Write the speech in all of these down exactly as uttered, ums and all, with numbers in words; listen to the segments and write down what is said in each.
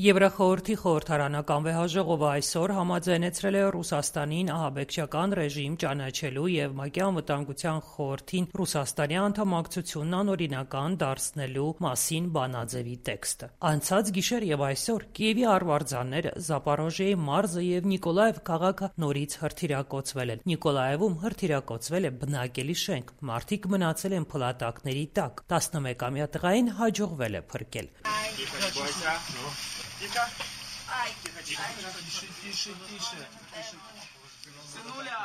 Եվրախորհրդի խորհրդարանական վեհաժողովը այսօր համաձայնեցրել է Ռուսաստանին ահաբեկչական ռեժիմ ճանաչելու և ՄԱԿ-ի Անվտանգության խորհրդին Ռուսաստանի անդամակցությունն անօրինական դարձնելու մասին բանաձևի տեքստը։ Անցած գիշեր և այսօր Կիևի արվարձանները, Զապորոժիեի մարզը և Նիկոլաև քաղաքը նորից հրթիռակոծվել են։ Նիկոլաևում հրթիռակոծվել է բնակելի շենք, մարդիկ մնացել են փլատակների տակ, տասնմեկամյա տղային հաջողվել է փրկել։ Тихо. Ай, тихо, тихо. Тише, тише, тише. Сынуля.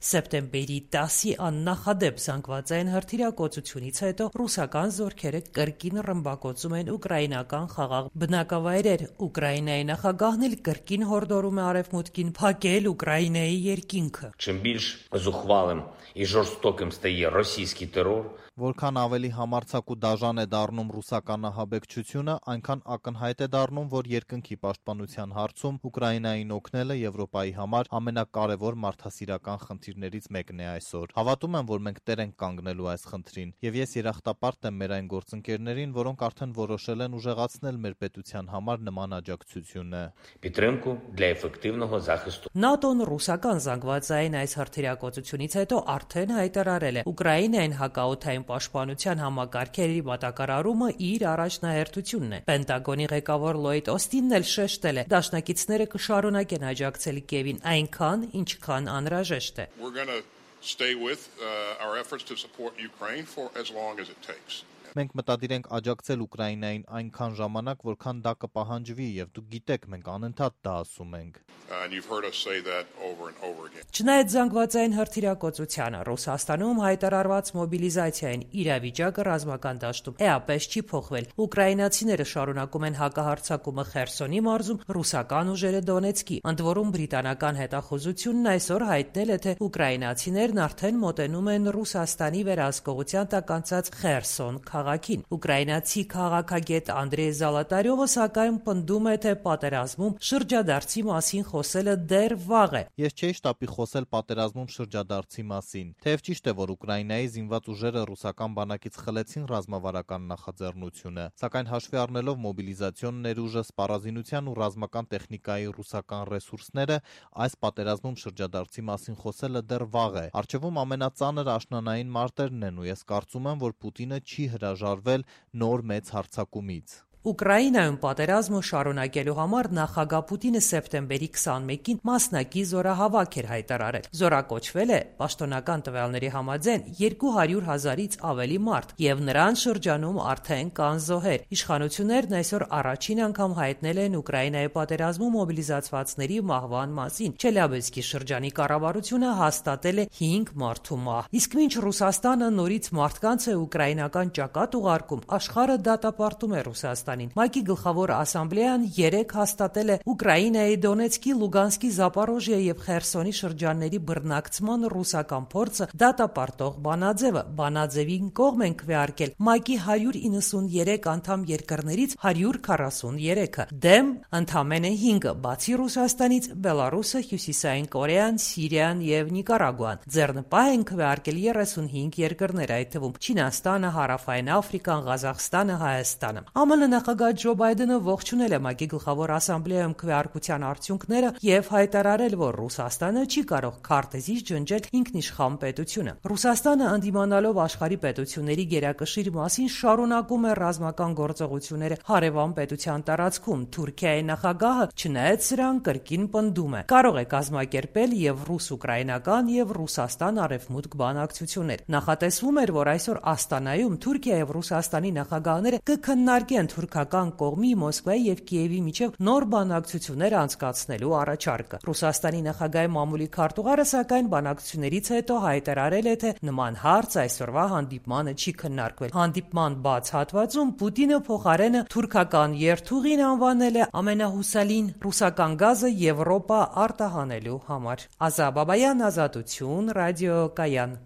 Սեպտեմբերի տասի աննախադեպ զանգվածային հրթիռակոծությունից հետո ռուսական զորքերը կրկին ռմբակոծում են ուկրաինական խաղաղ բնակավայրեր։ Ուկրաինայի նախագահն էլ կրկին հորդորում է Արևմուտքին փակել Ուկրաինայի երկինքը։ Чим більш зухвалим і жорстоким стає російський терор, Որքան ավելի համարձակ ու դաժան է դառնում ռուսական ահաբեկչությունը, այնքան ակնհայտ է դառնում, որ երկնքի պաշտպանության հարցում Ուկրաինային օգնելը Եվրոպայի համար ամենակարևոր մարդասիրական խնդիրներից մեկն է այսօր։ Հավատում եմ, որ մենք տեր ենք կանգնելու այս խնդրին, եւ ես երախտապարտ եմ մեր այն գործընկերներին, որոնք արդեն որոշել են ուժեղացնել մեր պետության համար նման աջակցությունը։ підтримку для ефективного захисту. ՆԱՏՕ-ն ռուսական զանգվածային այս հրթիռակոծությունից հետո արդեն հայտարարել է Ուկրաինային հակաօդային պաշտպանության համակարգերի մատակարարումը իր առաջնահերթությունն է։ Պենտագոնի ղեկավար Լոյդ Օստինն էլ շեշտել է, դաշնակիցները կշարունակեն աջակցել Կիևին այնքան, ինչքան անհրաժեշտ է։ We're going to stay with uh, our efforts to support Ukraine for as long as it takes. Մենք մտադիր ենք աջակցել Ուկրաինային այնքան ժամանակ, որքան դա կպահանջվի, եւ դուք գիտեք, մենք անընդհատ դա ասում ենք։ And you've heard us say that over and over again. Չնայած զանգվածային հրթիռակոծությանը Ռուսաստանում հայտարարված մոբիլիզացիային իրավիճակը ռազմական դաշտում էապես չի փոխվել։ Ուկրաինացիները շարունակում են հակահարձակումը Խերսոնի մարզում, ռուսական ուժերը Դոնեցկի։ Ընդ որում բրիտանական հետախուզությունն այսօր հայտնել է, թե ուկրաինացիներն արդեն մոտենում են Ռուսաստանի վերահսկողության տակ անցած Խերսոն քաղաքին։ Ուկրաինացի քաղաքագետ Անդրեյ Զալատարյովը սակայն պնդում է, թե պատերազմում շրջադարձի մասին խոսելը դեռ վաղ է։ Ես չէի շտապի խոսել պատերազմում շրջադարձի մասին։ Թեև ճիշտ է, որ Ուկրաինայի զինված ուժերը ռուսական բանակից խլեցին ռազմավարական նախաձեռնությունը, սակայն հաշվի առնելով մոբիլիզացիոն ներուժը, սպառազինության ու ռազմական տեխնիկայի ռուսական ռեսուրսները, այս պատերազմում շրջադարձի մասին խոսելը դեռ վաղ է։ Առջևում ամենածանր աշնանային մարտերն են, ու ես կարծում եմ, որ Պուտինը չի հրաժարվել նոր մեծ հարձակումից։ Ուկրաինայում պատերազմը շարունակելու համար նախագահ Պուտինը սեպտեմբերի քսանմեկին մասնակի զորահավաք էր հայտարարել։ Զորակոչվել է պաշտոնական տվյալների համաձայն երկու հարյուր հազարից ավելի մարդ, եւ նրան շրջանում արդեն կան զոհեր։ Իշխանություններն այսօր առաջին անգամ հայտնել են Ուկրաինայի պատերազմում մոբիլիզացվածների մահվան մասին։ Չելյաբինսկի շրջանի կառավարությունը հաստատել է հինգ մարդու մահ։ Իսկ մինչ Ռուսաստանը նորից մարդկանց է ուկրաինական ճակատ ուղարկում, աշխարհը դատապարտում է Ռուսաստանին։ ՄԱԿ-ի գլխավոր ասամբլեան երեկ հաստատել է Ուկրաինայի Դոնեցկի, Լուգանսկի, Զապորոժիեի եւ Խերսոնի շրջանների բռնակցման ռուսական փորձը դատապարտող բանաձևը։ Բանաձևին կողմ են քվեարկել ՄԱԿ-ի հարյուր իննսուններեք անդամ երկրներից հարյուր քառասուներեքը, դեմ ընդամենը հինգը, բացի Ռուսաստանից Բելարուսը, Հյուսիսային Կորեան, Սիրիան եւ Նիկարագուան։ Ձեռնպահ են քվեարկել երեսունհինգ երկրներ, այդ թվում Չինաստանը, Հարավային Աֆրիկան, Ղազախստանը, Հայաստանը։ ԱՄՆ նախագահ Ջո Բայդենը ողջունել է ՄԱԿ-ի գլխավոր ասամբլեայում քվեարկության արդյունքները եւ հայտարարել, որ Ռուսաստանը չի կարող քարտեզից ջնջել ինքնիշխան պետությունը։ Ռուսաստանը ընդդիմանալով աշխարհի պետությունների գերակշիռ մասին շարունակում է ռազմական գործողությունները հարևան պետության տարածքում։ Թուրքիայի նախագահը, չնայած սրան, կրկին պնդում է, կարող է կազմակերպել եւ ռուս-ուկրաինական եւ Ռուսաստան-արևմուտք բանակցություններ։ Նախատեսվում էր, որ այսօր Աստանայում Թուրքիա եւ Ռուսաստանի նախագահները կքննարկեն թուրքական կողմի Մոսկվայի եւ Կիևի միջև նոր բանակցություններ անցկացնելու առաջարկը։ Ռուսաստանի նախագահի մամուլի քարտուղարը սակայն բանակցություններից հետո հայտարարել է, թե նման հարց այսօրվա հանդիպմանը չի քննարկվել։ Հանդիպման բաց հատվածում Պուտինը փոխարենը թուրքական երթուղին անվանել է ամենահուսալին ռուսական գազը Եվրոպա արտահանելու համար։ Ազա Բաբայան, Ազատություն, ռադիոկայան։